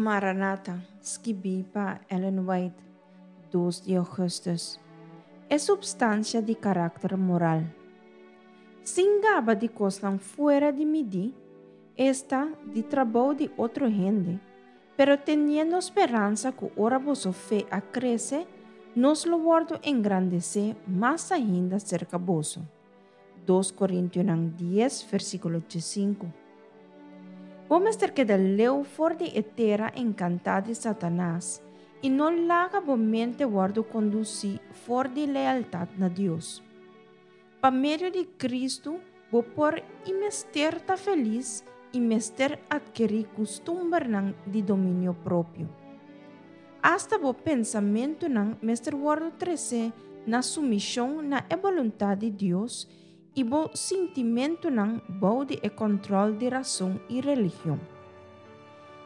Maranata, skibí pa Ellen White, dos di ougùstùs. E supstansia di karakter moral. Sin gaba di kosnan fuera di midí, esta, di trabou di otro hende, pero teniendo speransa ku ora boso fe a krese, nos lo wòrdu engrandesé mas ainda serka boso. Dos Korintionan dies, versíkulo diesinku. Bo mester keda leu for di e tera enkantá di Satanas i no laga bo mente wòrdu kondusí for di lealtat na Dios. Pa medio di Kristu bo por i mester ta felis i mester atkerí kustumbernan di dominio propio. Asta bo pensamentunan mester wòrdu tresé na sumishon na e boluntat di Dios i bo sintimentunan bou di e kòntròl di rason i religion.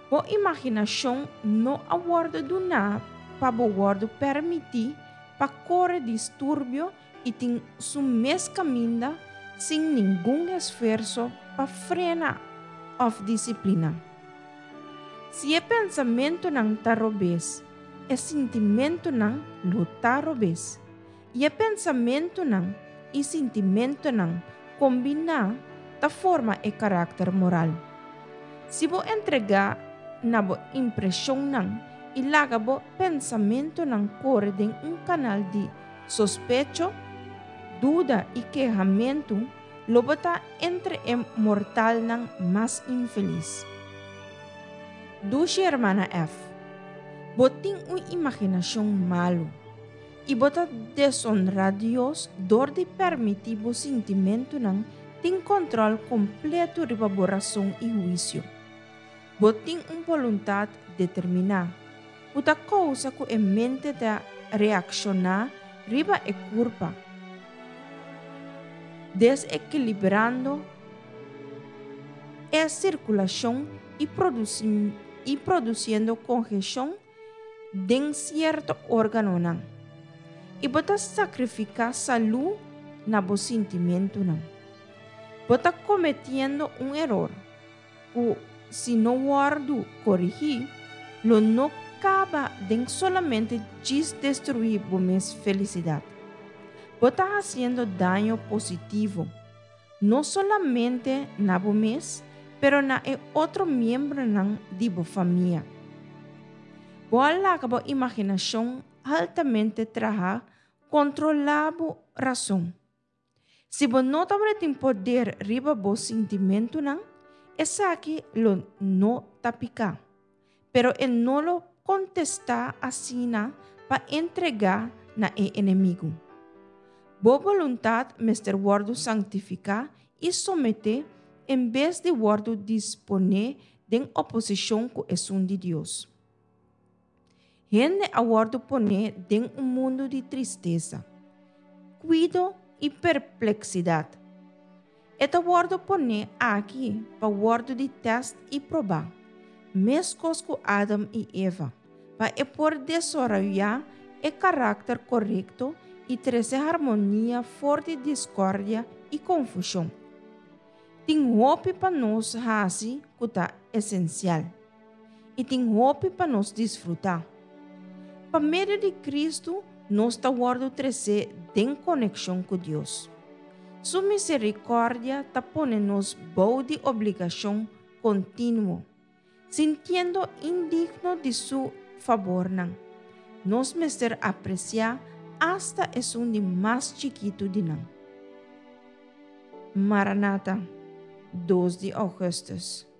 Bo imaginashon no a wòrdu duná pa bo wòrdu pèrmití pa kore disturbio i tin su mes kaminda sin ningun esfuerso pa frena òf disipliná. Si e pensamentunan ta robes, e sintimentunan lo ta robes. I e pensamentunan i sintimentunan kombiná ta forma e karakter moral. Si bo entregá na bo impreshonnan i laga bo pensamentunan kore den un kanal di Sospecho, duda i kehamentu lo bo ta entre e mortalnan mas infelis. Dushi hermana F, bo tin un imaginashon malu i bo ta desonrá Dios dor di permití bo sintimentunan tin kòntròl kompletu riba bo rason i huisio. Bo tin un boluntat determiná, ku ta kousa ku e mente ta reakshoná riba e kurpa, desekilibrando e sirkulashon i produsiendo kongeshon den sierto órganonan. I bo ta sakrifiká salú na bo sintimentunan. Bo ta kometiendo un eror. Ku si no wòrdu korigí, lo no kaba den solamente djis destruí bo mes felisidat. Bo ta hasiendo daño positivo, no solamente na bo mes, pero na e otro miembronan di bo famia. Bo a laga bo imaginashon altamente traha kontrolá bo rason. Si bo no tabatin poder riba bo sintimentunan, esaki lo no ta piká. Pero e no lo kontestá asina pa entregá na e enemigu. Bo boluntat mester wòrdu sanktifiká i someté en bes di wòrdu disponé den oposishon ku esun di Dios. Hende a wòrdu poné den un mundu di tristesa, kuido i perpleksidat. E ta wòrdu poné aki pa wòrdu di tèst i probá, meskos ku Adam i Eva, pa e por desaroyá e karakter korekto i trese harmonia for di diskòrdia i konfushon. Tin hopi pa nos hasi ku ta esensial. I tin hopi pa nos disfrutá. Pa medio di Kristu nos ta wòrdu tresé den konekshon ku Dios. Su miserikòrdia ta pone nos bou di obligashon kontinuo, sintiendo indigno di su fabornan. Nos mester apresiá asta esun di mas chikitu di nan. Maranata, dos di ougùstùs.